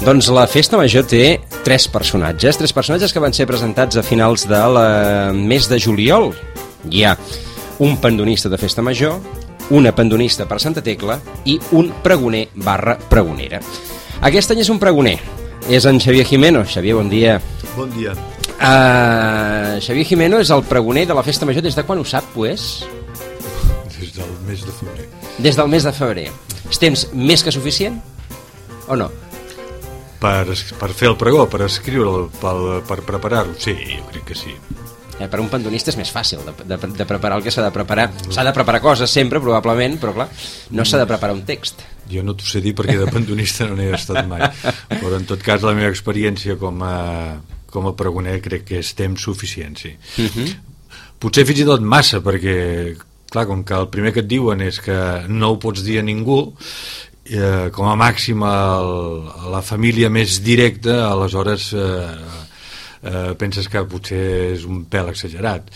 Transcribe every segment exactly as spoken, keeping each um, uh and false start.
Doncs la Festa Major té tres personatges, tres personatges que van ser presentats a finals del mes de juliol. Hi ha un pandonista de Festa Major, una pandonista per Santa Tecla i un pregoner barra pregonera. Aquest any és un pregoner, és en Xavier Jimeno. Xavier, bon dia. Bon dia. Uh, Xavier Jimeno és el pregoner de la Festa Major. Des de quan ho sap, pues? Des del mes de febrer. Des del mes de febrer. És temps més que suficient o no? Per, per fer el pregó, per escriure'l, per, per preparar-ho, sí, jo crec que sí. Eh, per un pandonista és més fàcil de, de, de preparar el que s'ha de preparar. S'ha de preparar coses sempre, probablement, però clar, no s'ha de preparar un text. Jo no t'ho sé dir perquè de pandonista no n'he estat mai, però en tot cas la meva experiència com a, com a pregoner crec que és temps suficient, sí. Uh-huh. Potser fins i tot massa, perquè clar, com que el primer que et diuen és que no ho pots dir a ningú, eh, com a màxim el, a la família més directa, aleshores eh, eh, penses que potser és un pèl exagerat.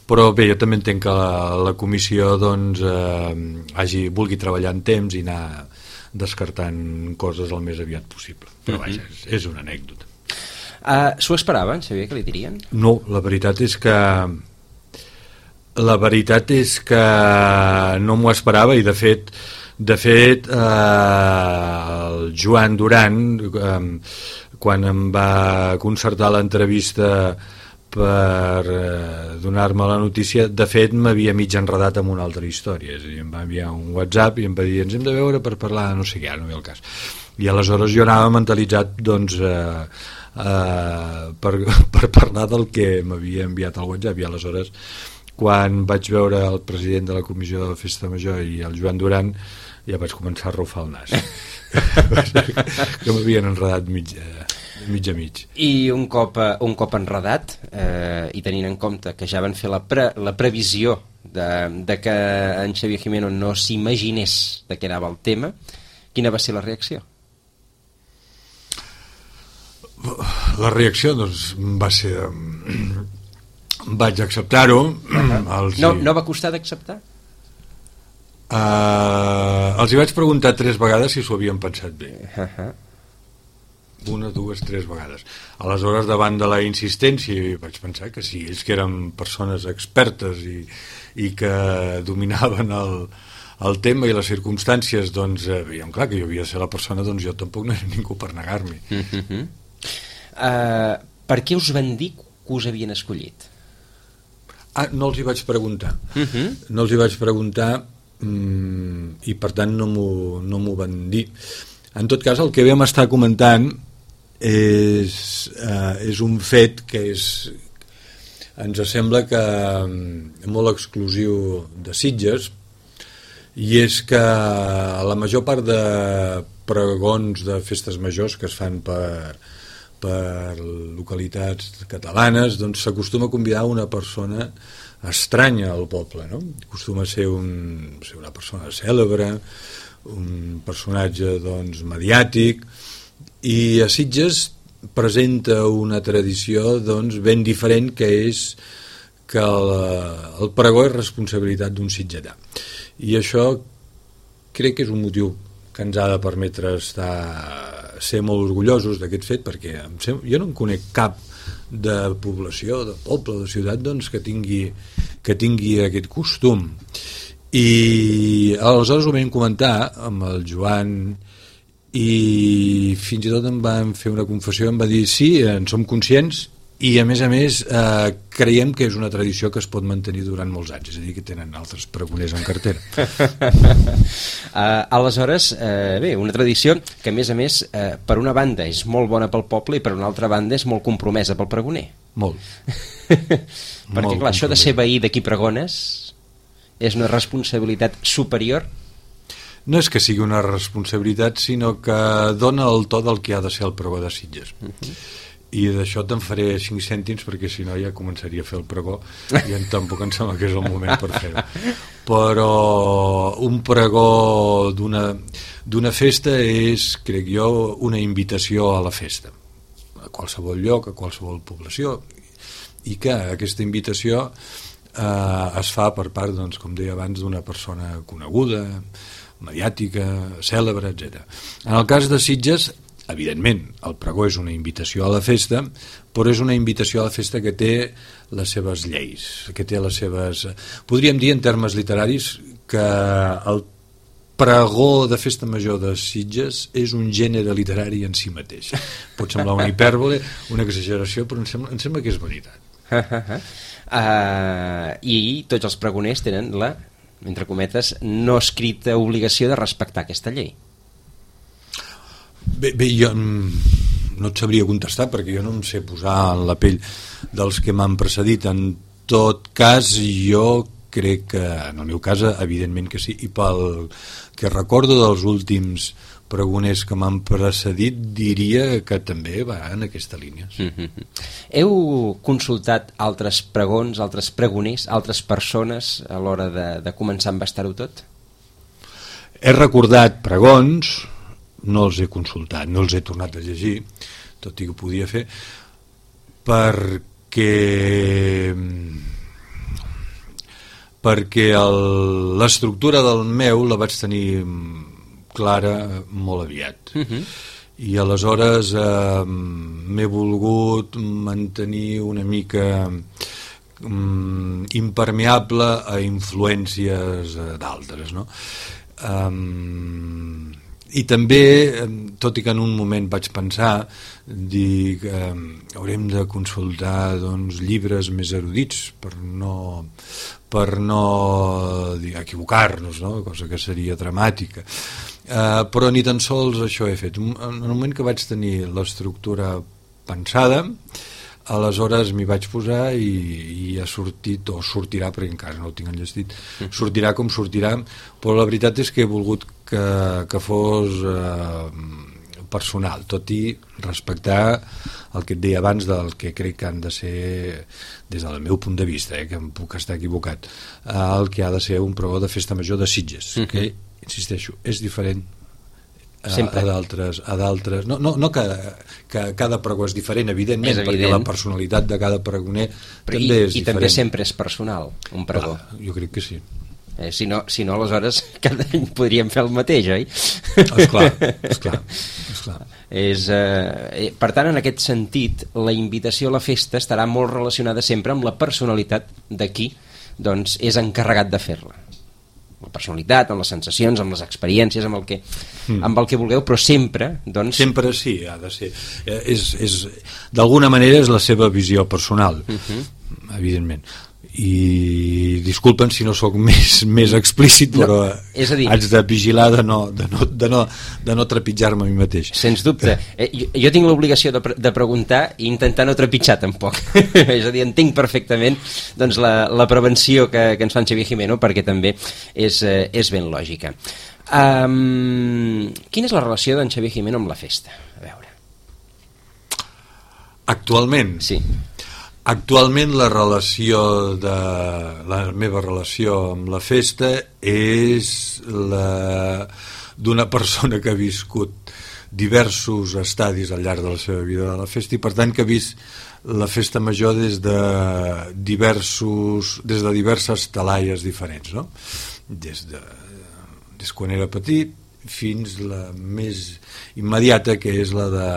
Però bé, jo també entenc que la, la comissió doncs, eh, hagi, vulgui treballar en temps i anar descartant coses el més aviat possible. Però vaja, és, és una anècdota. Uh, S'ho esperaven, Xavier, que li dirien? No, la veritat és que la veritat és que no m'ho esperava i de fet de fet eh, el Joan Duran eh, quan em va concertar l'entrevista per eh, donar-me la notícia, de fet m'havia mig enredat amb una altra història, és a dir, em va enviar un WhatsApp i em va dir ens hem de veure per parlar no sé què, no ve el cas, i aleshores jo anava mentalitzat doncs eh, eh, per, per parlar del que m'havia enviat al WhatsApp, i aleshores quan vaig veure el president de la comissió de la Festa Major i el Joan Duran ja vaig començar a rufar el nas que m'havien enredat mig, eh, mig a mig. I un cop, un cop enredat eh, i tenint en compte que ja van fer la, pre, la previsió de, de que en Xavier Jimeno no s'imaginés de què anava el tema, quina va ser la reacció? La reacció doncs va ser vaig acceptar-ho. Uh-huh. no, no va costar d'acceptar? Uh, els hi vaig preguntar tres vegades si s'ho havien pensat bé. Uh-huh. Una, dues, tres vegades. Aleshores, davant de la insistència, vaig pensar que sí, ells que eren persones expertes i, i que dominaven el, el tema i les circumstàncies, doncs eh, veiem clar que jo havia de ser la persona, doncs jo tampoc no era ningú per negar-m'hi. Uh-huh. uh, Per què us van dir que us havien escollit? Ah, no els hi vaig preguntar. Uh-huh. No els hi vaig preguntar mm, i per tant no m'ho no m'ho van dir. En tot cas, el que vam estar comentant és, eh, és un fet que és, ens sembla que és molt exclusiu de Sitges, i és que la major part de pregons de festes majors que es fan per per localitats catalanes, doncs s'acostuma a convidar una persona estranya al poble, no? Acostuma a ser, un, ser una persona cèlebre, un personatge doncs mediàtic, i a Sitges presenta una tradició doncs ben diferent, que és que el, el pregó és responsabilitat d'un sitgetà, i això crec que és un motiu que ens ha de permetre estar ser molt orgullosos d'aquest fet, perquè em sem- jo no en conec cap de població, de poble, de ciutat doncs, que tingui, que tingui aquest costum. I aleshores ho vam comentar amb el Joan i fins i tot em van fer una confessió, em va dir sí, en som conscients i a més a més eh, creiem que és una tradició que es pot mantenir durant molts anys, és a dir, que tenen altres pregoners en cartera. uh, aleshores, uh, bé, una tradició que a més a més uh, per una banda és molt bona pel poble i per una altra banda és molt compromesa pel pregoner. Molt. Perquè molt clar, això de ser veí de qui pregones és una responsabilitat superior. No és que sigui una responsabilitat, sinó que dona el to del que ha de ser el pregó de Sitges. Uh-huh. I d'això te'n faré cinc cèntims perquè si no ja començaria a fer el pregó i en tampoc em sembla que és el moment per fer-ho. Però un pregó d'una, d'una festa és, crec jo, una invitació a la festa, a qualsevol lloc, a qualsevol població, i que aquesta invitació eh, es fa per part, doncs, com deia abans, d'una persona coneguda, mediàtica, cèlebre, etcètera. En el cas de Sitges, evidentment, el pregó és una invitació a la festa, però és una invitació a la festa que té les seves lleis, que té les seves... Podríem dir, en termes literaris, que el pregó de festa major de Sitges és un gènere literari en si mateix. Pot semblar una hipèrbole, una exageració, però em sembla, em sembla que és veritat. uh, I tots els pregoners tenen la, entre cometes, no escrita obligació de respectar aquesta llei. Bé, bé, jo no et sabria contestar perquè jo no em sé posar en la pell dels que m'han precedit. En tot cas, jo crec que en el meu cas evidentment que sí, i pel que recordo dels últims pregoners que m'han precedit diria que també va en aquesta línia. Sí. Mm-hmm. Heu consultat altres pregons, altres pregoners, altres persones a l'hora de, de començar a embastar-ho tot? He recordat pregons, no els he consultat, no els he tornat a llegir, tot i que ho podia fer, perquè perquè el, l'estructura del meu la vaig tenir clara molt aviat. Uh-huh. I aleshores eh, m'he volgut mantenir una mica um, impermeable a influències uh, d'altres, no? Um, i també, tot i que en un moment vaig pensar dir que um, haurem de consultar doncs, llibres més erudits per no per no dir, equivocar-nos, no? Cosa que seria dramàtica. Uh, però ni tan sols això he fet. En el moment que vaig tenir l'estructura pensada, aleshores m'hi vaig posar i, i ha sortit, o sortirà, perquè encara no ho tinc enllestit, sortirà com sortirà, però la veritat és que he volgut que, que fos eh, personal, tot i respectar el que et deia abans del que crec que han de ser, des del meu punt de vista, eh, que em puc estar equivocat, el que ha de ser un pregó de festa major de Sitges, uh-huh. que, insisteixo, és diferent a, a d'altres, a d'altres no, no, no que, que cada pregó és diferent, evidentment, és evident. Perquè la personalitat de cada pregoner però també i, és i diferent. també sempre és personal un pregó. Ah, jo crec que sí. Eh, si, no, si no, aleshores cada any podríem fer el mateix, oi? Esclar, esclar, esclar. És, eh, per tant, en aquest sentit, la invitació a la festa estarà molt relacionada sempre amb la personalitat de qui doncs, és encarregat de fer-la. La personalitat, amb les sensacions, amb les experiències, amb el que, mm. amb el que vulgueu, però sempre, doncs... Sempre sí, ha de ser. És, és, d'alguna manera és la seva visió personal, uh-huh. evidentment. I disculpen si no sóc més, més explícit, però no, és a dir, haig de vigilar de no, de no, de no, de no trepitjar-me a mi mateix. Sens dubte. Eh, jo, jo tinc l'obligació de, pre- de preguntar i intentar no trepitjar tampoc. És a dir, entenc perfectament doncs, la, la prevenció que, que ens fa en Xavier Jimeno, perquè també és, eh, és ben lògica. Um, quina és la relació d'en Xavier Jimeno amb la festa? A veure. Actualment? Sí. Actualment la relació de la meva relació amb la festa és la d'una persona que ha viscut diversos estadis al llarg de la seva vida de la festa i per tant que ha vist la festa major des de diversos des de diverses talaies diferents, no? Des de des quan era petit fins la més immediata, que és la de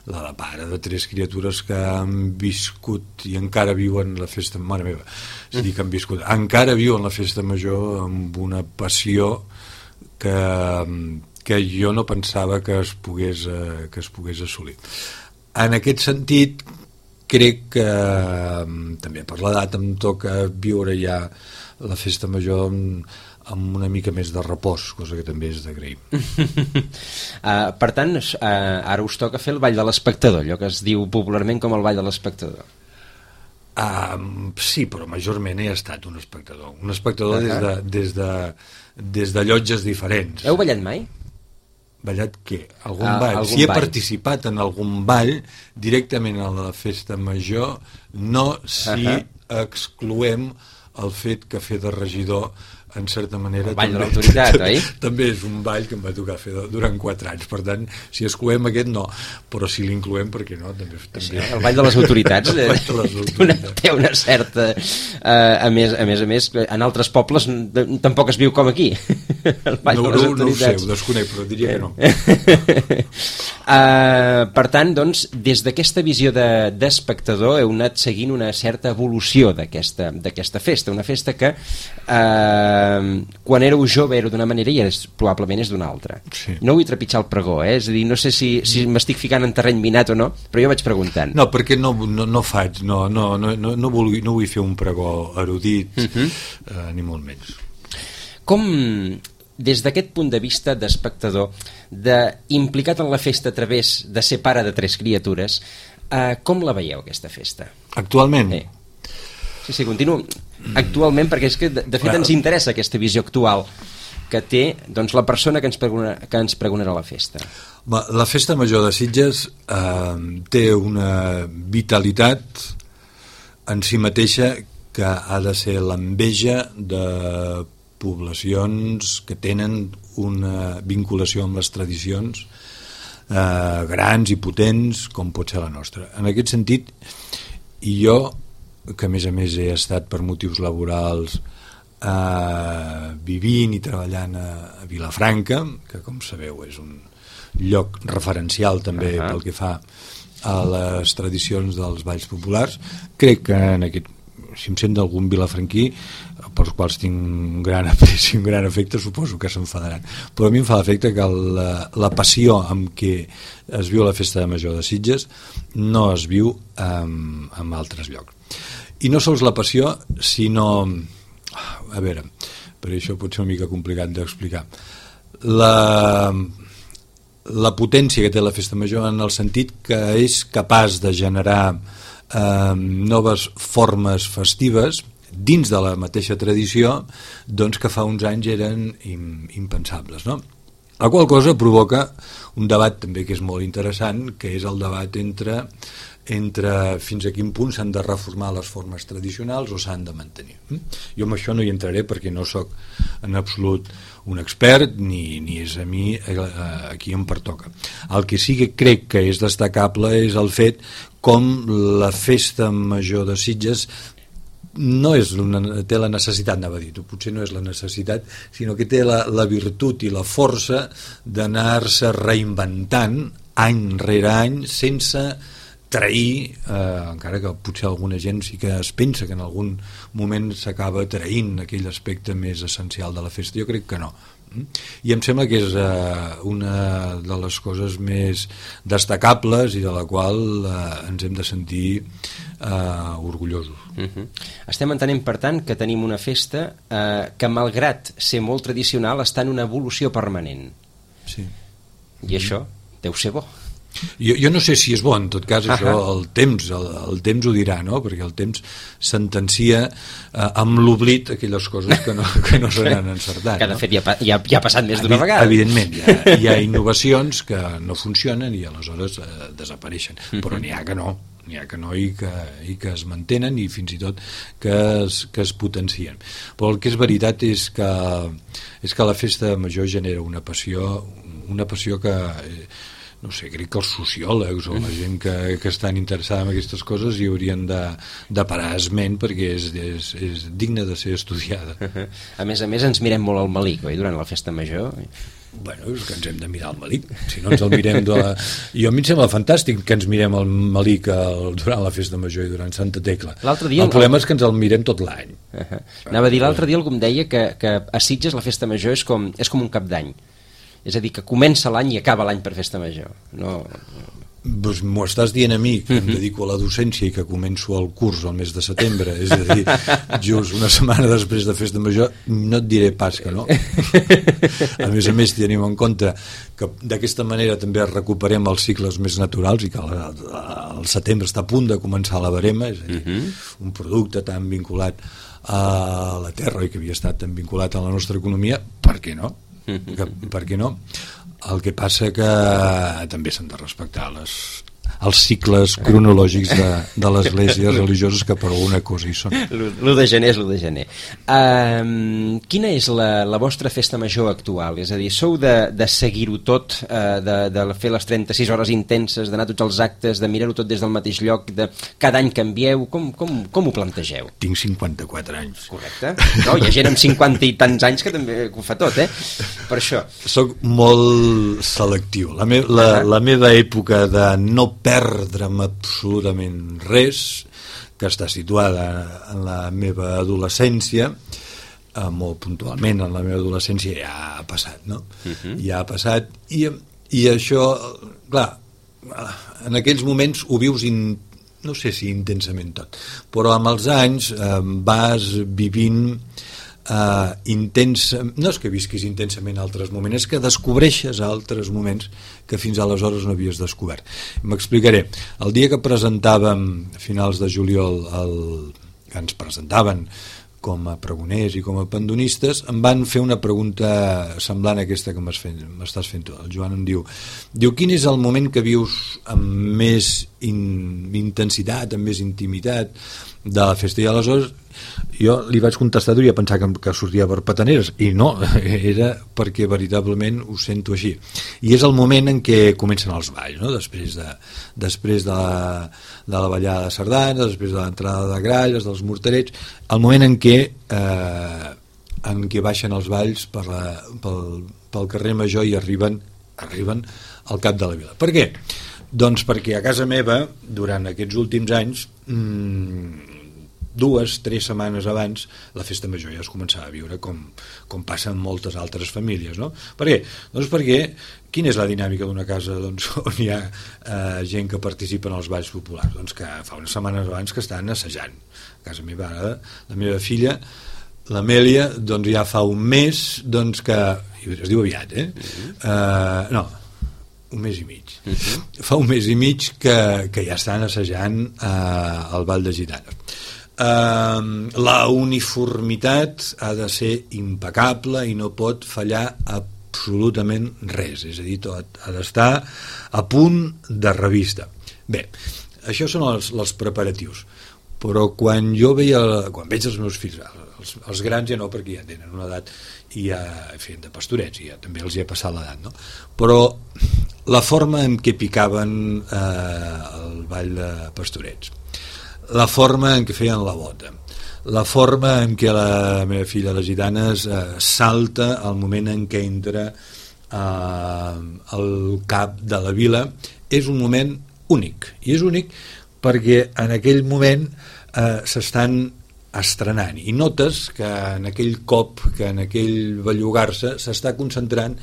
la de pare de tres criatures que han viscut i encara viuen la festa, mare meva, és a dir, que han viscut, encara viuen la festa major amb una passió que, que jo no pensava que es pogués, que es pogués assolir. En aquest sentit, crec que també per l'edat em toca viure ja la festa major amb, amb una mica més de repòs, cosa que també és d'agrair. uh, per tant, uh, ara us toca fer el ball de l'espectador, allò que es diu popularment com el ball de l'espectador. Uh, sí, però majorment he estat un espectador. Un espectador uh-huh. des, de, des, de, des de llotges diferents. Heu ballat mai? Ballat què? Algun uh, ball? Algun si he ball. participat en algun ball directament a la festa major, no si uh-huh. excloem el fet que fer de regidor en certa manera... El ball també, de l'autoritat, oi? També és un ball que em va tocar fer durant quatre anys, per tant, si excloem aquest, no, però si l'incloem, per què no? També, també... Sí, el ball de les autoritats, el ball de les autoritats. Té, una, té una certa... Uh, a, més, a més a més, en altres pobles tampoc es viu com aquí, el ball no, de les no, autoritats. No ho sé, ho desconec, però diria que no. uh, per tant, doncs, des d'aquesta visió d'espectador de, heu anat seguint una certa evolució d'aquesta d'aquesta festa, una festa que uh, quan éreu jove era d'una manera i és, probablement és d'una altra. Sí. No vull trepitjar el pregó, eh? És a dir, no sé si, si m'estic ficant en terreny minat o no, però jo vaig preguntant. No, perquè no, no, no faig, no, no, no, no, no, vull, no vull fer un pregó erudit, uh -huh. uh, ni molt menys. Com, des d'aquest punt de vista d'espectador, de, implicat en la festa a través de ser pare de tres criatures, eh, com la veieu, aquesta festa? Actualment? Eh. Sí, sí, continuo. Actualment, perquè és que, de, de fet, ens interessa aquesta visió actual que té doncs, la persona que ens, pregona, que ens pregonarà la festa. La Festa Major de Sitges eh, té una vitalitat en si mateixa que ha de ser l'enveja de poblacions que tenen una vinculació amb les tradicions eh, grans i potents com pot ser la nostra. En aquest sentit, i jo, que a més a més he estat per motius laborals eh, vivint i treballant a, a Vilafranca, que com sabeu és un lloc referencial també uh-huh. pel que fa a les tradicions dels balls populars, crec que en aquest, si em sent d'algun vilafranquí pels quals tinc un gran apreci, un gran afecte, suposo que s'enfadaran, però a mi em fa l'efecte que la, la passió amb què es viu la Festa Major de Sitges no es viu en, en altres llocs. I no sols la passió, sinó, a veure, per això pot ser una mica complicat d'explicar, la, la potència que té la Festa Major en el sentit que és capaç de generar eh, noves formes festives dins de la mateixa tradició, doncs, que fa uns anys eren impensables, no? La qual cosa provoca un debat també que és molt interessant, que és el debat entre, entre fins a quin punt s'han de reformar les formes tradicionals o s'han de mantenir. Jo amb això no hi entraré perquè no sóc en absolut un expert ni, ni és a mi a qui em pertoca. El que sí que crec que és destacable és el fet com la Festa Major de Sitges no és una, té la necessitat, anava a dir, potser no és la necessitat, sinó que té la, la virtut i la força d'anar-se reinventant any rere any sense trair, eh, encara que potser alguna gent sí que es pensa que en algun moment s'acaba traint aquell aspecte més essencial de la festa. Jo crec que no. I em sembla que és eh, una de les coses més destacables i de la qual eh, ens hem de sentir eh, orgullosos. Uh-huh. Estem entenent, per tant, que tenim una festa eh, que, malgrat ser molt tradicional, està en una evolució permanent. Sí. I uh-huh. això deu ser bo. Jo, jo no sé si és bo, en tot cas, això uh-huh. el temps el, el temps ho dirà, no? Perquè el temps sentencia eh, amb l'oblit aquelles coses que no, que no se n'han encertat. Que de no? fet ja, ja, ja ha passat més d'una vegada. Evidentment, hi ha, hi ha innovacions que no funcionen i aleshores eh, desapareixen, uh-huh. però n'hi ha que no, n'hi ha que no i que, i que es mantenen i fins i tot que es, que es potencien. Però el que és veritat és que, és que la Festa Major genera una passió, una passió que... Eh, no sé, crec que els sociòlegs o la gent que, que estan interessada en aquestes coses hi haurien de, de parar esment perquè és, és, és digne de ser estudiada. A més a més ens mirem molt al malic, oi, durant la Festa Major? Bueno, és que ens hem de mirar al malic, si no ens el mirem de la... Jo a mi em sembla fantàstic que ens mirem al malic el, durant la Festa Major i durant Santa Tecla. Dia, el problema és que ens el mirem tot l'any. Uh-huh. Anava a dir, l'altre dia algú em deia que, que a Sitges la Festa Major és com, és com un cap d'any. És a dir, que comença l'any i acaba l'any per Festa Major. No... Pues m'ho estàs dient a mi, que em dedico a la docència i que començo el curs al mes de setembre, és a dir, just una setmana després de Festa Major, no et diré pas que no. A més a més, tenim en compte que d'aquesta manera també recuperem els cicles més naturals i que el setembre està a punt de començar la verema, és a dir, un producte tan vinculat a la terra i que havia estat tan vinculat a la nostra economia, per què no? Que, per què no? El que passa que també s'han de respectar les, els cicles cronològics de, de les esglésies religioses, que per alguna cosa hi són. l'u de gener és l'u de gener. Uh, quina és la, la vostra festa major actual? És a dir, sou de, de seguir-ho tot, uh, de, de fer les trenta-sis hores intenses, d'anar a tots els actes, de mirar-ho tot des del mateix lloc, de cada any canvieu? Com, com, com ho plantegeu? Tinc cinquanta-quatre anys. Correcte. No, hi ha gent amb cinquanta i tants anys que també ho fa tot, eh? Per això. Soc molt selectiu. La, me la, la meva època de no perdre'm absolutament res, que està situada en la meva adolescència, eh, molt puntualment en la meva adolescència, ja ha passat, no? Uh-huh. Ja ha passat, i, i això, clar, en aquells moments ho vius, in, no sé si intensament tot, però amb els anys eh, vas vivint Uh, intensa, no és que visquis intensament altres moments, és que descobreixes altres moments que fins aleshores no havies descobert. M'explicaré. El dia que presentàvem a finals de juliol el, que ens presentaven com a pregoners i com a pandonistes, em van fer una pregunta semblant a aquesta que m'estàs fent tu. El Joan em diu, diu quin és el moment que vius amb més in, intensitat, amb més intimitat de la festa? I aleshores jo li vaig contestar, duria a pensar que, que sortia per petaneres, i no, era perquè veritablement ho sento així. I és el moment en què comencen els balls, no? Després de, després de, la, de la ballada de sardana, després de l'entrada de gralles, dels morterets, el moment en què eh, en què baixen els balls per la, pel, pel carrer Major i arriben, arriben al cap de la vila. Per què? Doncs perquè a casa meva, durant aquests últims anys, mmm, dues, tres setmanes abans, la festa major ja es començava a viure com, com passa en moltes altres famílies, no? Per què? Doncs perquè, quina és la dinàmica d'una casa doncs, on hi ha eh, gent que participa en els balls populars? Doncs que fa unes setmanes abans que estan assajant. A casa meva, ara, la meva filla, l'Amèlia, doncs ja fa un mes, doncs que, es diu aviat, eh? Uh-huh. Uh, no, un mes i mig. Uh-huh. Fa un mes i mig que, que ja estan assajant uh, el Ball de Gitanes. Uh, la uniformitat ha de ser impecable i no pot fallar absolutament res, és a dir, tot ha d'estar a punt de revista. Bé, això són els, els preparatius, però quan jo veia, quan veig els meus fills, els, els grans ja no, perquè ja tenen una edat i ja feien de pastorets i ja també els hi ha passat l'edat, no? Però la forma en què picaven eh, el ball de pastorets, la forma en què feien la bota, la forma en què la meva filla, les gitanes, eh, salta al moment en què entra eh, al cap de la vila, és un moment únic, i és únic perquè en aquell moment eh, s'estan estrenant i notes que en aquell cop, que en aquell bellugar-se s'està concentrant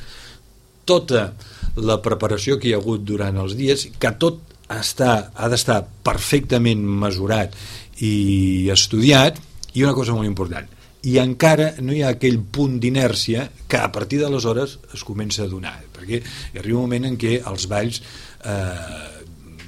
tota la preparació que hi ha hagut durant els dies, que tot Està, ha d'estar perfectament mesurat i estudiat, i una cosa molt important, i encara no hi ha aquell punt d'inèrcia que a partir d'aleshores es comença a donar, perquè hi arriba un moment en què els balls eh,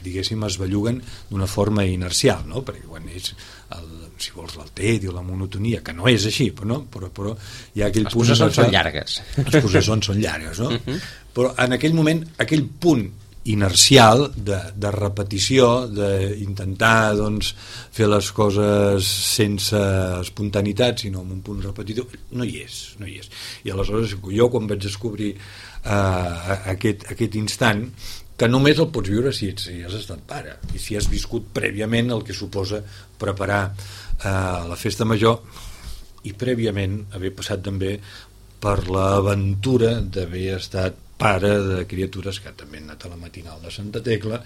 diguéssim es belluguen d'una forma inercial, no? Perquè quan és el, si vols l'altet i la monotonia, que no és així, però, no? però, però hi ha aquell les punt processons són llargues, les processons són llargues, no? Uh-huh. Però en aquell moment, aquell punt inercial de, de repetició, d'intentar doncs, fer les coses sense espontaneïtat, sinó amb un punt repetitiu, no hi és, no hi és. I aleshores jo quan vaig descobrir eh, aquest, aquest instant, que només el pots viure si, ets, si has estat pare i si has viscut prèviament el que suposa preparar eh, la festa major i prèviament haver passat també per l'aventura d'haver estat pare de criatures que també han anat a la matinal de Santa Tecla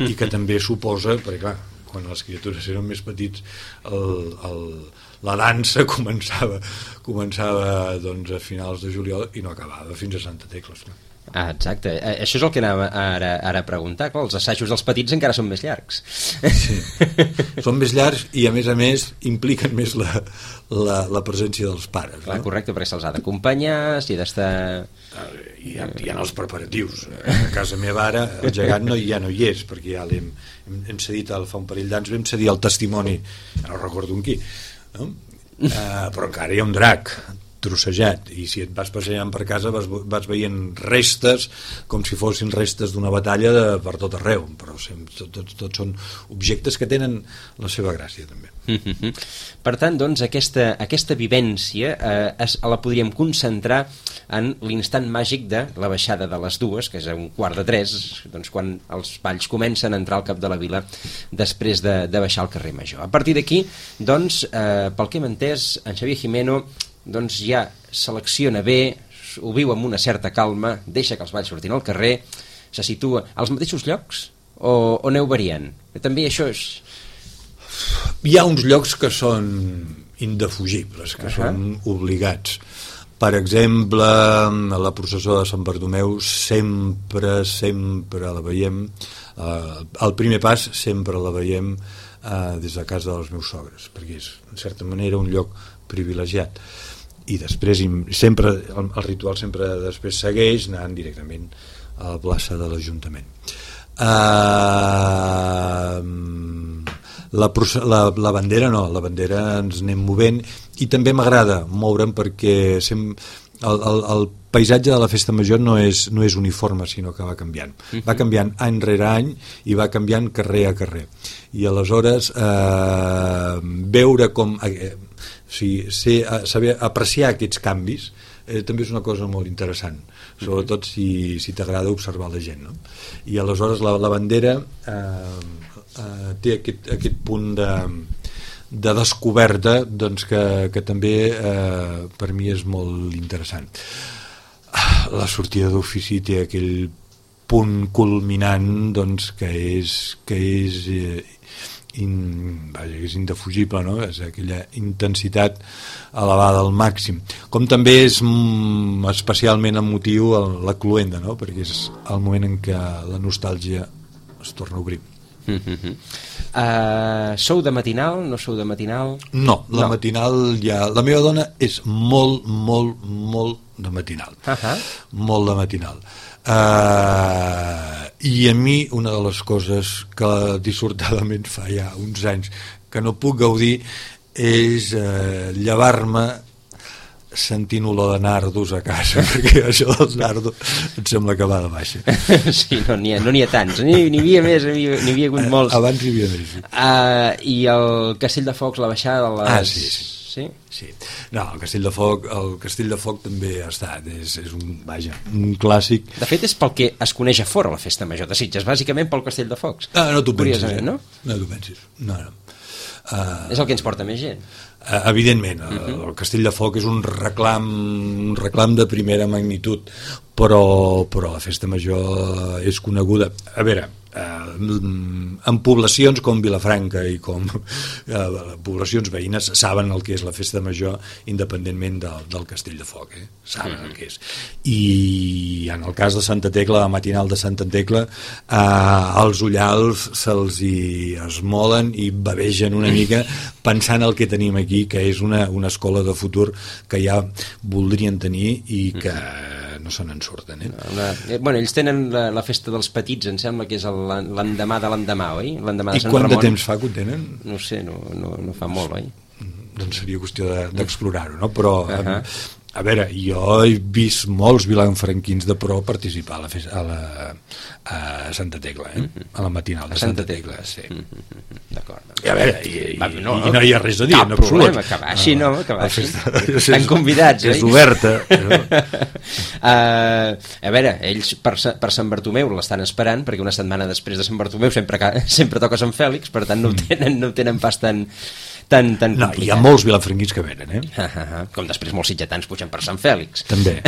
i que també suposa, perquè clar, quan les criatures eren més petits el, el, la dansa començava, començava doncs, a finals de juliol i no acabava fins a Santa Tecla. Ah, exacte, això és el que anava ara, ara a preguntar. Clar, els assajos dels petits encara són més llargs. Sí, són més llargs i a més a més impliquen més la, la, la presència dels pares. Clar, no? Correcte, perquè se'ls ha d'acompanyar, s'hi ha d'estar... Hi ha, hi ha els preparatius. A casa meva ara el gegant no, ja no hi és, perquè ja l'hem hem, hem cedit el, fa un parell d'anys vam cedir el testimoni, no recordo en qui, no? Uh, però encara hi ha un drac trossejat, i si et vas passejant per casa vas, vas veient restes com si fossin restes d'una batalla de, per tot arreu, però tots tot, tot són objectes que tenen la seva gràcia també. Mm-hmm. Per tant, doncs, aquesta, aquesta vivència eh, es, la podríem concentrar en l'instant màgic de la baixada de les dues, que és a un quart de tres, doncs, quan els balls comencen a entrar al cap de la vila després de, de baixar al carrer Major. A partir d'aquí, doncs, eh, pel que hem entès, en Xavier Gimeno doncs ja selecciona bé, ho viu amb una certa calma, deixa que els balls surtin al carrer, se situa als mateixos llocs o, o aneu variant? També això és... Hi ha uns llocs que són indefugibles, que uh-huh. són obligats. Per exemple, a la processó de Sant Bartomeu sempre, sempre la veiem, eh, al primer pas sempre la veiem eh, des de casa dels meus sogres, perquè és, en certa manera, un lloc privilegiat. I després sempre el, el ritual sempre després segueix anant directament a la plaça de l'Ajuntament. Uh, la, la, la bandera no, la bandera ens anem movent, i també m'agrada moure'm perquè sem, el, el, el paisatge de la festa major no és, no és uniforme, sinó que va canviant. Uh-huh. Va canviant any rere any i va canviant carrer a carrer. I aleshores eh, veure com... Eh, o sigui, ser, saber apreciar aquests canvis eh, també és una cosa molt interessant, sobretot si, si t'agrada observar la gent, no? I aleshores la, la bandera eh, eh, té aquest, aquest punt de, de descoberta, doncs, que, que també eh, per mi és molt interessant. La sortida d'ofici té aquell punt culminant, doncs, que és, que és eh, In, vaja, és indefugible, no? És aquella intensitat elevada al màxim, com també és mm, especialment emotiu el, la cloenda, no? Perquè és el moment en què la nostàlgia es torna a obrir. Mm-hmm. uh, Sou de matinal? No sou de matinal? No, la no. matinal ja... La meva dona és molt, molt, molt de matinal. Uh-huh. Molt de matinal. Uh, i a mi una de les coses que dissortadament fa ja uns anys que no puc gaudir és uh, llevar-me sentint olor de nardos a casa, perquè això dels nardos em sembla que va de baixa. Sí, no n'hi ha, no n'hi ha tants, n'hi, n'hi havia més, n'hi, n'hi havia hagut molts. Abans hi havia més. Uh, I el Castell de Focs, la baixada de les... Ah, sí, sí. Sí? Sí. No, el Castell de Foc, el Castell de Foc també ha estat, és, és un, vaja, un clàssic. De fet, és pel que es coneix a fora la festa major de Sitges, bàsicament pel Castell de Focs. Ah, no t'ho pensis, eh? no? No t'ho pensis, no, no. Uh, és el que ens porta més gent. Uh, evidentment, uh -huh. el Castell de Foc és un reclam, un reclam de primera magnitud, però, però la festa major és coneguda. A veure, eh, en poblacions com Vilafranca i com eh, poblacions veïnes saben el que és la festa major independentment del, del Castell de Foc, eh? Saben mm. el que és. I en el cas de Santa Tecla, la matinal de Santa Tecla, eh, els ullals se'ls hi esmolen i bevegen una mica pensant el que tenim aquí, que és una, una escola de futur que ja voldrien tenir i que no se n'en surten, eh? Una, eh, bueno, ells tenen la, la festa dels petits, em sembla que és l'endemà de l'endemà, oi? L'endemà de I Sant quant Ramon. de temps fa que ho tenen? No sé, no, no, no fa molt, oi? Doncs seria qüestió d'explorar-ho, no? Però, uh -huh. a veure, jo he vist molts vilanfranquins de pro participar a la, festa, a la a Santa Tecla, eh? Uh -huh. A la matinal de Santa, Santa Tecla, Tecla, sí. Uh -huh. D'acord. Doncs. I a veure, i, i, Va, no, i no hi ha res a dir, cap en absolut. problema, que baixi, no? Que baixi. Festa, estan convidats, és, oi? És oberta. uh, a veure, ells per, per Sant Bartomeu l'estan esperant, perquè una setmana després de Sant Bartomeu sempre, sempre toca Sant Fèlix, per tant no ho tenen, no ho tenen pas tan... Tan, tan no, hi ha molts vilanfranquins que venen, eh? Uh -huh. Com després molts sitgetans pugen per Sant Fèlix. També,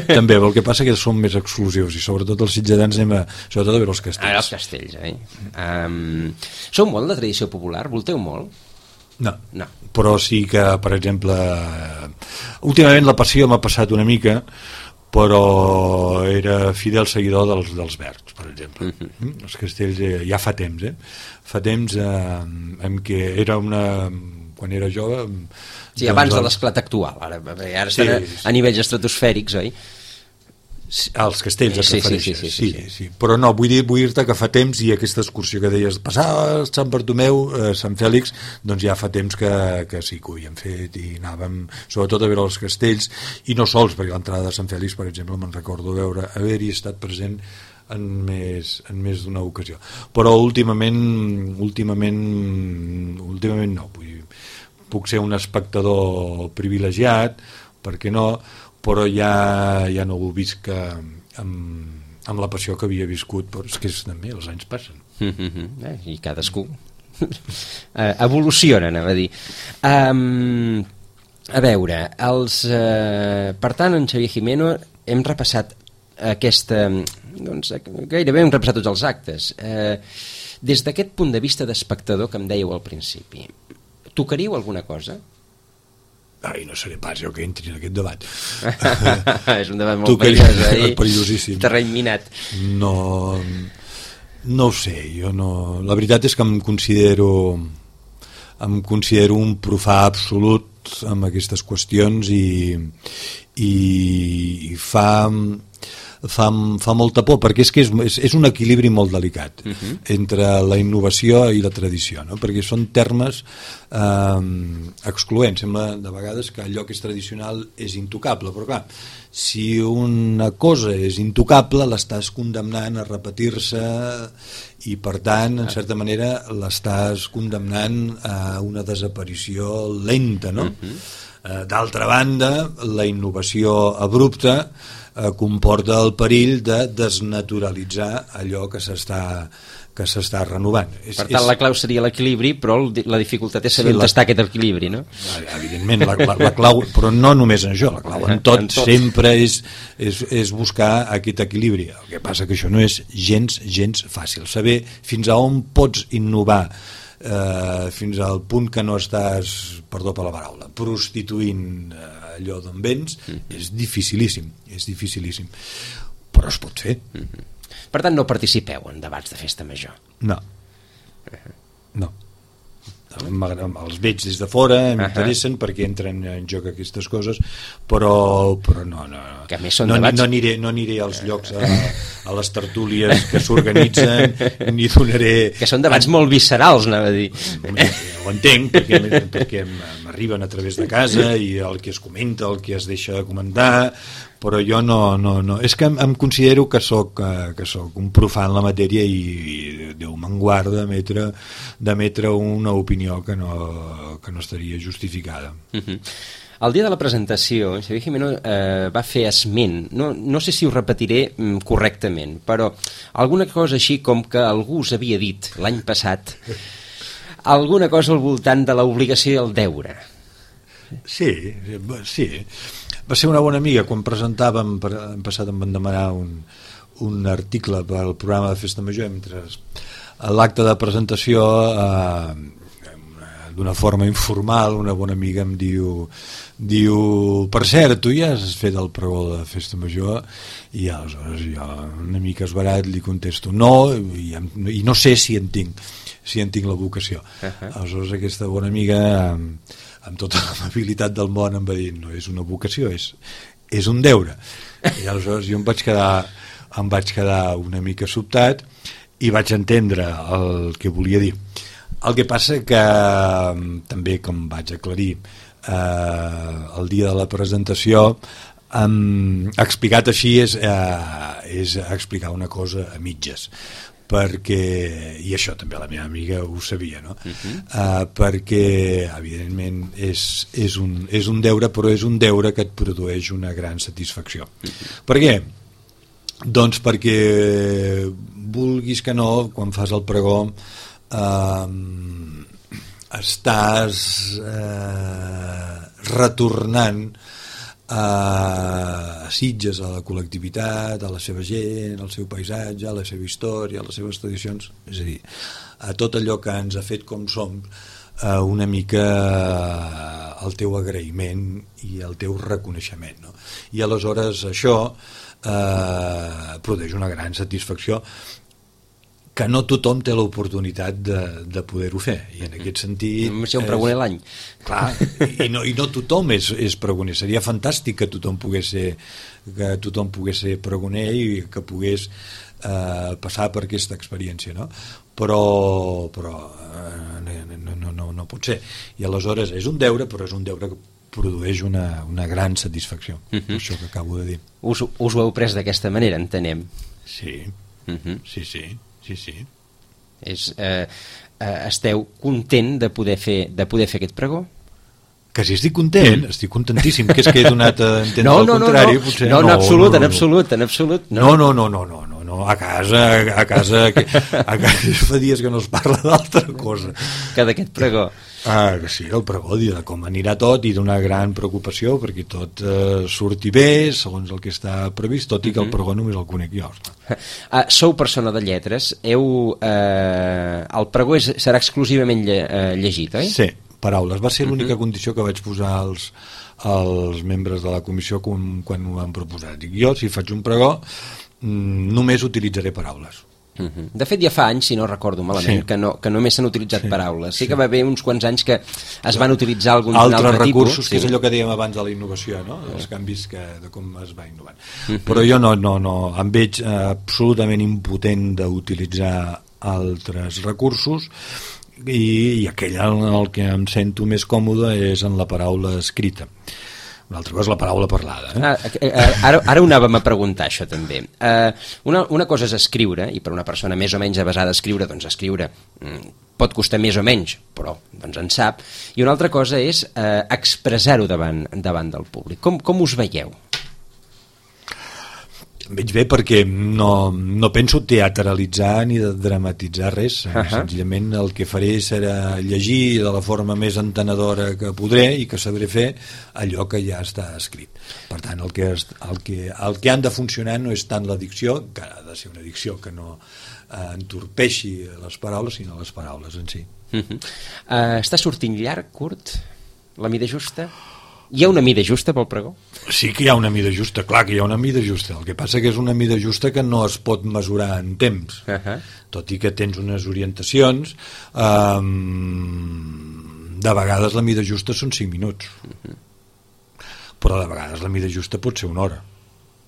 també, però el que passa és que són més exclusius i sobretot els sitgetans anem a, sobretot a veure els castells. Ah, els castells, eh? Um, sou molt de tradició popular? Volteu molt? No, no, però sí que, per exemple, últimament la passió m'ha passat una mica, però era fidel seguidor dels, dels Verds, per exemple. Uh-huh. Els castells eh, ja fa temps, eh? Fa temps eh, en què era una... quan era jove... Sí, abans doncs, de l'esclat actual, ara, ara estan sí, a, a nivells estratosfèrics, oi? Sí, als castells et sí, refereixes, sí, sí, sí, sí, sí, sí. Però no, vull dir, vull dir-te que fa temps, i aquesta excursió que deies, passava Sant Bartomeu, eh, Sant Fèlix, doncs ja fa temps que, que sí que ho havíem fet, i anàvem sobretot a veure els castells, i no sols, perquè l'entrada de Sant Fèlix, per exemple, me'n recordo veure, haver-hi estat present en més, en més d'una ocasió. Però últimament, últimament, últimament no, vull dir, puc ser un espectador privilegiat, perquè no, però ja, ja no ho visc amb, amb la passió que havia viscut, però és que és també, els anys passen. Mm-hmm. Eh, I cadascú eh, evoluciona, anava a dir. Um, a veure, els, eh, per tant, en Xavier Gimeno hem repassat aquesta... Doncs, gairebé hem repassat tots els actes. Eh, des d'aquest punt de vista d'espectador que em dèieu al principi, tocaríeu alguna cosa? Ai, no seré pas jo que entri en aquest debat. És un debat molt perillós, eh? Perillosíssim. Terreny minat. No, no ho sé, jo no... La veritat és que em considero em considero un profà absolut amb aquestes qüestions, i, i, i fa... Fa, fa molta por, perquè és que és, és, és un equilibri molt delicat uh-huh. entre la innovació i la tradició, no? Perquè són termes eh, excloents. Sembla de vegades que allò que és tradicional és intocable, però clar, si una cosa és intocable, l'estàs condemnant a repetir-se, i per tant, en certa manera, l'estàs condemnant a una desaparició lenta, no? Uh-huh. eh, d'altra banda, la innovació abrupta Eh, comporta el perill de desnaturalitzar allò que s'està que s'està renovant. És, per tant, és... la clau seria l'equilibri, però la dificultat és saber sí, on la... està aquest equilibri, no? Evidentment, la, la, la clau, però no només en això, la clau en tot, en tot. sempre és, és, és buscar aquest equilibri. El que passa que això no és gens, gens fàcil. Saber fins a on pots innovar, eh, fins al punt que no estàs, perdó per la paraula, prostituint eh, allò d'on vens, mm-hmm. és dificilíssim, és dificilíssim, però es pot fer. Mm-hmm. Per tant, no participeu en debats de festa major? No, uh-huh. no. Els veig des de fora, m'interessen uh-huh. perquè entren en joc aquestes coses, però, però no, no, que a més són no, debats... no, aniré, no aniré als llocs, a, a les tertúlies que s'organitzen, ni donaré... Que són debats molt viscerals, anava a dir. Ho entenc, perquè, perquè m'arriben a través de casa, i el que es comenta, el que es deixa de comentar, però jo no, no, no. És que em, em considero que soc, que soc un profà en la matèria, i, i Déu me'n guarda d'emetre d'emetre una opinió que no, que no estaria justificada. Uh-huh. El dia de la presentació, Xavier Gimeno eh, va fer esment, no, no sé si ho repetiré mm, correctament, però alguna cosa així com que algú us havia dit l'any passat alguna cosa al voltant de l'obligació i el deure. Sí, sí. Va ser una bona amiga quan presentàvem, l'any passat em van demanar un, un article per al programa de Festa Major, mentre l'acte de presentació eh, d'una forma informal una bona amiga em diu diu, per cert, tu ja has fet el pregó de Festa Major? I aleshores jo una mica esbarat li contesto no, i, i no sé si en tinc si en tinc la vocació. Uh-huh. Aleshores aquesta bona amiga amb, amb tota l'amabilitat del món em va dir no és una vocació, és, és un deure. I aleshores jo em vaig quedar em vaig quedar una mica sobtat i vaig entendre el que volia dir. El que passa que també, com vaig aclarir eh, el dia de la presentació, um, explicat així és, eh, és explicar una cosa a mitges, perquè, i això també la meva amiga ho sabia, no? Uh-huh. uh, perquè evidentment és, és, un, és un deure, però és un deure que et produeix una gran satisfacció. Uh-huh. Per què? Doncs perquè vulguis que no, quan fas el pregó eh, estàs eh, retornant a Sitges, a la col·lectivitat, a la seva gent, al seu paisatge, a la seva història, a les seves tradicions, és a dir, a tot allò que ens ha fet com som, eh, una mica el teu agraïment i el teu reconeixement, no? I aleshores això eh, produeix una gran satisfacció que no tothom té l'oportunitat de, de poder-ho fer, i en aquest sentit només hi ha un pregoner l'any, clar, i no, i no tothom és, és pregoner. Seria fantàstic que tothom pogués ser que tothom pogués ser pregoner i que pogués eh, passar per aquesta experiència, no? però, però eh, no, no, no, no pot ser, i aleshores és un deure, però és un deure que produeix una, una gran satisfacció. Uh-huh. Això que acabo de dir. Us, us ho heu pres d'aquesta manera, entenem? Sí, uh-huh. sí, sí, sí, sí. És, eh, eh, esteu content de poder fer, de poder fer aquest pregó? Que si estic content, mm. estic contentíssim, que és que he donat a entendre no, el no, contrari, no, no. potser no, no, en absolut, no, no, en absolut, en absolut. No, no, no, no, no, no, no. A casa, a casa, a casa fa dies que no es parla d'altra cosa. Que d'aquest pregó. Ah, que sí, el pregó, de com anirà tot, i d'una gran preocupació perquè tot eh, surti bé, segons el que està previst, tot i que el pregó només el conec jo. Ah, sou persona de lletres, heu, eh, el pregó és, serà exclusivament lle, eh, llegit, oi? Sí, paraules. Va ser l'única uh-huh. condició que vaig posar als, als membres de la comissió quan, quan ho van proposar. Dic, jo, si faig un pregó, mm, només utilitzaré paraules. Uh-huh. De fet ja fa anys, si no recordo malament, sí. que, no, que només s'han utilitzat sí. paraules. Sí, sí que va haver uns quants anys que es van utilitzar algun altres altre recursos, tipus, que sí. és allò que dèiem abans de la innovació, no? Els canvis que, de com es va innovant. Uh-huh. Però jo no, no, no em veig eh, absolutament impotent d'utilitzar altres recursos, i, i aquell en el que em sento més còmode és en la paraula escrita. Una altra cosa és la paraula parlada. Eh? Ah, ara, ara ho anàvem a preguntar, això també. Uh, una, una cosa és escriure, i per una persona més o menys avesada a escriure, doncs escriure mm, pot costar més o menys, però doncs en sap. I una altra cosa és uh, expressar-ho davant, davant del públic. Com, com us veieu? Em veig bé perquè no, no penso teatralitzar ni de dramatitzar res. Uh-huh. Senzillament el que faré serà llegir de la forma més entenedora que podré i que sabré fer allò que ja està escrit. Per tant, el que, el que, el que han de funcionar no és tant la dicció, que ha de ser una dicció que no eh, entorpeixi les paraules, sinó les paraules en si. Uh-huh. uh, està sortint llarg, curt? La mida justa? Hi ha una mida justa pel pregó? Sí que hi ha una mida justa, clar que hi ha una mida justa. El que passa que és una mida justa que no es pot mesurar en temps. Uh-huh. Tot i que tens unes orientacions, um, de vegades la mida justa són cinc minuts. Uh-huh. Però de vegades la mida justa pot ser una hora.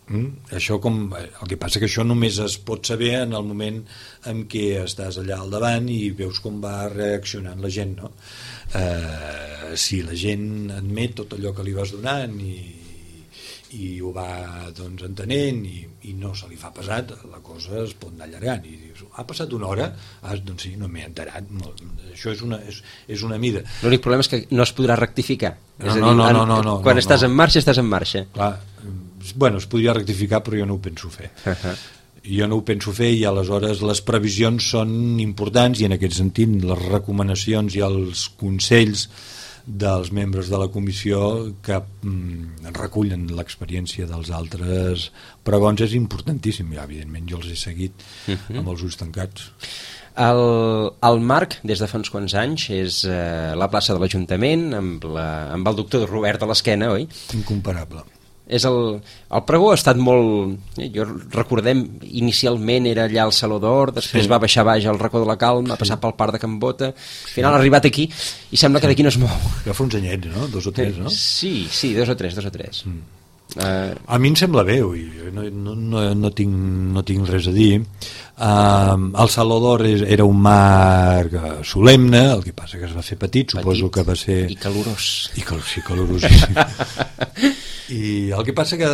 Mm? Això com, el que passa que això només es pot saber en el moment en què estàs allà al davant i veus com va reaccionant la gent, no? Eh, si la gent admet tot allò que li vas donant i, i ho va doncs, entenent i, i no se li fa pesat, la cosa es pot anar allargant i dius, ha passat una hora? Ah, doncs sí, no m'he enterat. Això és una, és, és una mida. L'únic problema és que no es podrà rectificar. No, és a dir, no, no, no, no, no, quan no, estàs no. en marxa, estàs en marxa. Clar, bueno, es podria rectificar, però jo no ho penso fer. Uh-huh. Jo no ho penso fer i aleshores les previsions són importants i en aquest sentit les recomanacions i els consells dels membres de la comissió que mm, recullen l'experiència dels altres pregons és importantíssim. Ja, evidentment jo els he seguit uh-huh. amb els ulls tancats. El, el Marc, des de fa uns quants anys, és eh, la plaça de l'Ajuntament amb, la, amb el doctor Robert a l'esquena, oi? Incomparable. És el, el pregó ha estat molt... Jo recordem, inicialment era allà al Saló d'Or, després sí. va baixar baix al racó de la Calma, sí. ha passat pel Parc de Can Bota, al final sí. ha arribat aquí i sembla que d'aquí no es mou. Ja fa uns anyets, no? Dos o tres, no? Sí, sí, dos o tres, dos o tres. Mm. Uh... A mi em sembla bé, ui, no, no, no, no, tinc, no tinc res a dir. Uh, el Saló d'Or era un marc solemne, el que passa que es va fer petit, petit suposo que va ser... I calorós. I cal, sí, calorosíssim. I el que passa que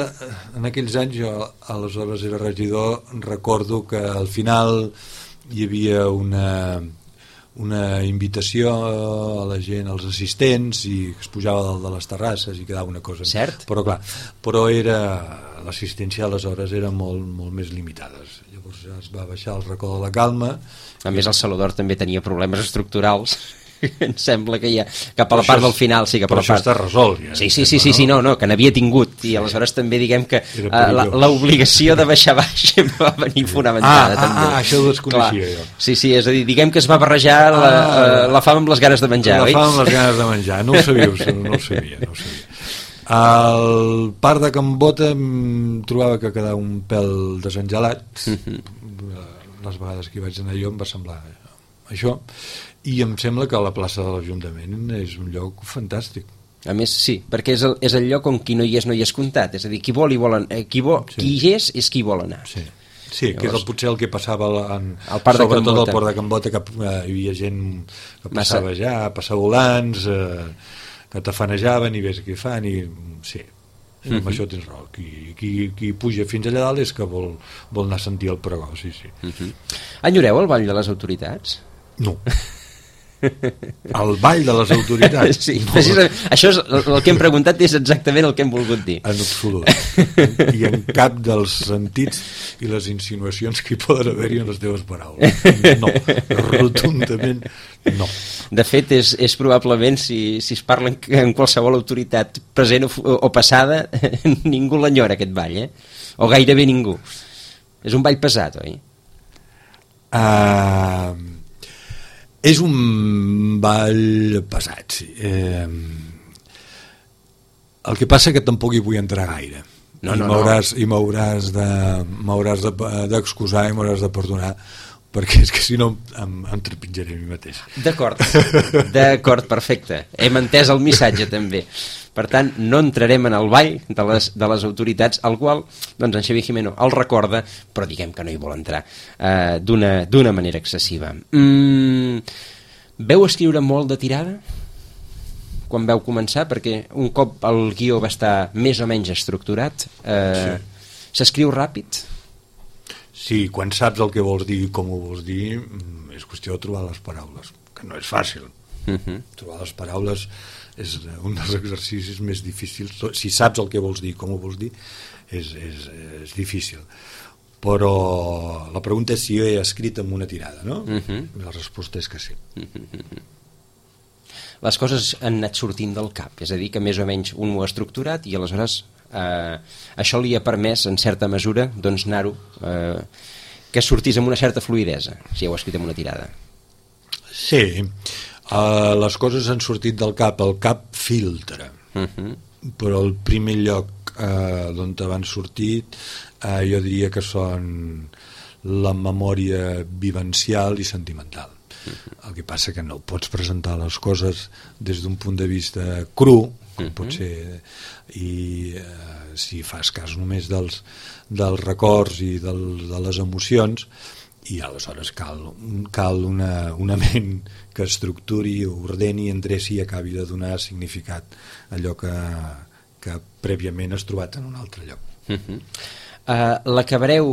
en aquells anys jo aleshores era regidor, recordo que al final hi havia una, una invitació a la gent, als assistents, i es pujava dalt de les terrasses i quedava una cosa... Cert. Però clar, però era l'assistència aleshores era molt, molt més limitada. Llavors es va baixar al racó de la Calma. A més el Saló d'Or també tenia problemes estructurals. Em sembla que ja cap a la part del final sí, cap a la part... Però això està resolt ja, sí, sí, sí, sí, sí, no, no, que n'havia tingut i aleshores també diguem que uh, l'obligació de baixar baix va venir fonamentada. Ah, també. ah, això ho desconeixia jo. Sí, sí, és a dir, diguem que es va barrejar la, ah, uh, la fam amb les ganes de menjar, la oi? La fam amb les ganes de menjar, no ho sabíeu, no ho sabia, no ho sabia. Al Parc de Can Bota em trobava que quedava un pèl desengelat, uh-huh. les vegades que hi vaig anar jo em va semblar això, i em sembla que la plaça de l'Ajuntament és un lloc fantàstic. A més, sí, perquè és el, és el lloc on qui no hi és no hi és comptat, és a dir, qui vol hi vol anar, qui, vol, sí. qui hi és és qui vol anar. Sí, sí. Llavors, que és el, potser el que passava en, el parc sobretot al port de Can Bota, que eh, hi havia gent que passava Massa. ja, passavolants, eh, que tafanejaven i ves què fan, i sí, mm-hmm. amb això tens raó. Qui, qui, qui puja fins allà dalt és que vol, vol anar a sentir el pregó, sí, sí. Mm-hmm. Enyoreu el Ball de les Autoritats? No. El ball de les autoritats? Sí, precisament. Això és el, el que hem preguntat és exactament el que hem volgut dir. En absolut. I en cap dels sentits i les insinuacions que hi poden haver-hi en les teves paraules. No, rotundament no. De fet, és, és probablement, si, si es parla en qualsevol autoritat present o, o passada, ningú l'enyora, aquest ball, eh? O gairebé ningú. És un ball pesat, oi? Ah... Uh... És un ball pesat, sí. Eh, el que passa que tampoc hi vull entrar gaire. No, I no, m'hauràs no. i m'hauràs de, m'hauràs de, d'excusar i m'hauràs de perdonar, perquè és que si no em, em trepitjaré a mi mateix. D'acord, d'acord, perfecte. Hem entès el missatge també. Per tant, no entrarem en el ball de les, de les autoritats, al qual doncs, en Xavier Gimeno el recorda, però diguem que no hi vol entrar eh, d'una, d'una manera excessiva. Mm, veu escriure molt de tirada? Quan veu començar? Perquè un cop el guió va estar més o menys estructurat, eh, sí. S'escriu ràpid? Sí, quan saps el que vols dir i com ho vols dir, és qüestió de trobar les paraules, que no és fàcil. Uh-huh. Trobar les paraules és un dels exercicis més difícils. Si saps el que vols dir, com ho vols dir, és, és, és difícil. Però la pregunta és si jo he escrit amb una tirada, no? Uh-huh. La resposta és que sí. Uh-huh. Les coses han anat sortint del cap, és a dir, que més o menys un ho ha estructurat i aleshores eh, això li ha permès, en certa mesura, doncs anar-ho, eh, que sortís amb una certa fluïdesa, si heu escrit amb una tirada. Sí, Uh, les coses han sortit del cap, el cap filtra, uh-huh. però el primer lloc uh, d'on van sortir uh, jo diria que són la memòria vivencial i sentimental. Uh-huh. El que passa que no pots presentar les coses des d'un punt de vista cru, com uh-huh. pot ser, i uh, si fas cas només dels, dels records i del, de les emocions, i aleshores cal, cal una, una ment que estructuri, ordeni, endreci i acabi de donar significat a allò que, que prèviament has trobat en un altre lloc. Uh-huh. uh, L'acabareu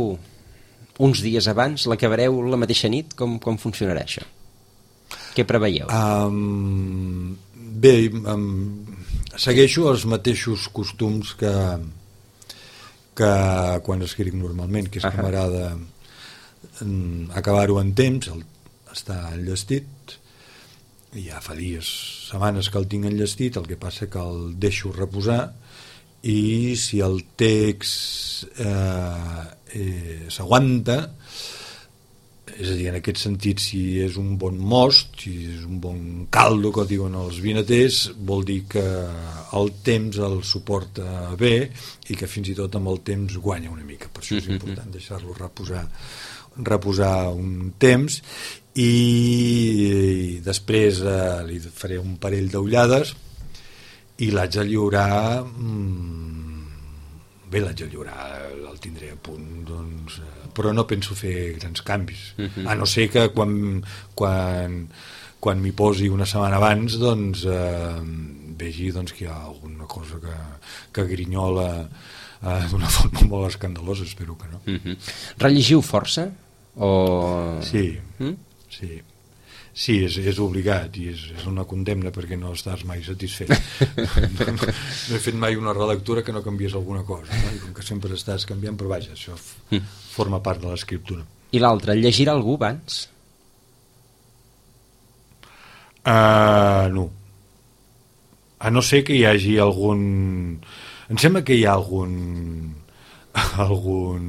uns dies abans? L'acabareu la mateixa nit? Com, com funcionarà això? Què preveieu? Um, bé, um, segueixo els mateixos costums que, que quan escric normalment, que és uh-huh. que m'agrada acabar-ho en temps, el, està enllestit, ja fa dies, setmanes que el tinc enllestit, el que passa que el deixo reposar, i si el text eh, eh, s'aguanta, és a dir, en aquest sentit, si és un bon most, si és un bon caldo, que diuen els vinaters, vol dir que el temps el suporta bé i que fins i tot amb el temps guanya una mica. Per això és important deixar-lo reposar reposar un temps i, i després eh, li faré un parell d'ullades i l'haig de lliurar mmm, bé, l'haig de lliurar, el tindré a punt, doncs, eh, però no penso fer grans canvis, uh-huh. a no ser que quan, quan, quan m'hi posi una setmana abans doncs eh, vegi doncs, que hi ha alguna cosa que, que grinyola eh, d'una forma molt escandalosa, espero que no. Uh-huh. Rellegiu força? O... Sí, mm? sí. Sí, és, és obligat i és, és una condemna perquè no estàs mai satisfet. no, no, no he fet mai una relectura que no canvies alguna cosa, no? I com que sempre estàs canviant, però vaja, això f- forma part de l'escriptura. I l'altre, llegirà algú abans? Uh, no. A no ser que hi hagi algun... Em sembla que hi ha algun algun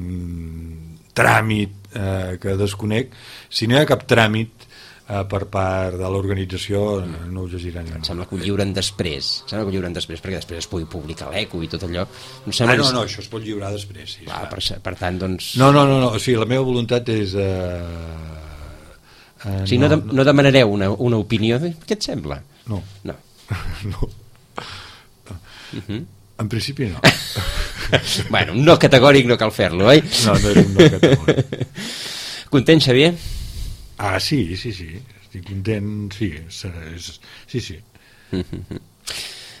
tràmit eh, que desconec. Si no hi ha cap tràmit, eh, per part de l'organització mm. no ho llegiran. Em sembla que ho lliuren després, em sembla que ho lliuren després perquè després es pugui publicar l'eco i tot allò. No ah, no, no, això es pot lliurar després. Sí, ah, per, per tant, doncs... No, no, no, no, o sigui, la meva voluntat és... Eh, eh, o sigui, no, no, de, no demanareu una, una opinió de què et sembla? No. No. no. no. Uh-huh. En principi no. Bueno, un no categòric no cal fer-lo, oi? No, no és un no categòric. Content, Xavier? Ah, sí, sí, sí. Estic content, sí. És, sí, sí. Uh-huh.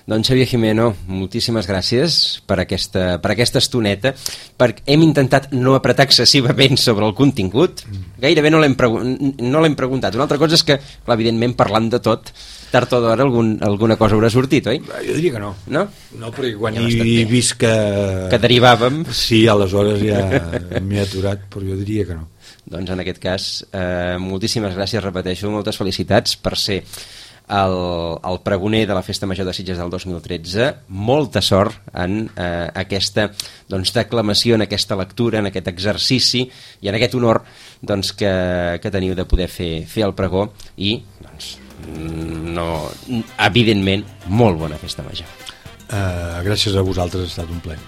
Doncs Xavier Gimeno, moltíssimes gràcies per aquesta, per aquesta estoneta, perquè hem intentat no apretar excessivament sobre el contingut, gairebé no l'hem pregu no l'hem preguntat. Una altra cosa és que, clar, evidentment, parlant de tot, tard o d'hora algun, alguna cosa haurà sortit, oi? Jo diria que no. No? No, perquè quan ja he vist que... Que derivàvem... Sí, aleshores ja m'he aturat, però jo diria que no. Doncs en aquest cas, eh, moltíssimes gràcies, repeteixo, moltes felicitats per ser el, el pregoner de la Festa Major de Sitges del dos mil tretze. Molta sort en eh, aquesta doncs, declamació, en aquesta lectura, en aquest exercici i en aquest honor doncs, que, que teniu de poder fer, fer el pregó i, doncs, no, evidentment, molt bona Festa Major. Uh, gràcies a vosaltres, ha estat un plaer.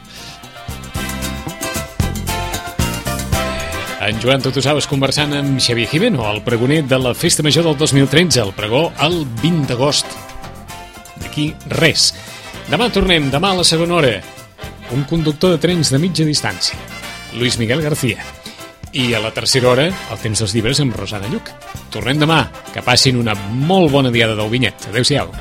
En Joan Totosaves conversant amb Xavier Gimeno, el pregoner de la Festa Major del dos mil tretze, el pregó el vint d'agost. D'aquí res. Demà tornem, demà a la segona hora, un conductor de trens de mitja distància, Luis Miguel García. I a la tercera hora, el temps dels llibres amb Rosana Lluc. Tornem demà, que passin una molt bona diada del Vinyet. Adéu-siau.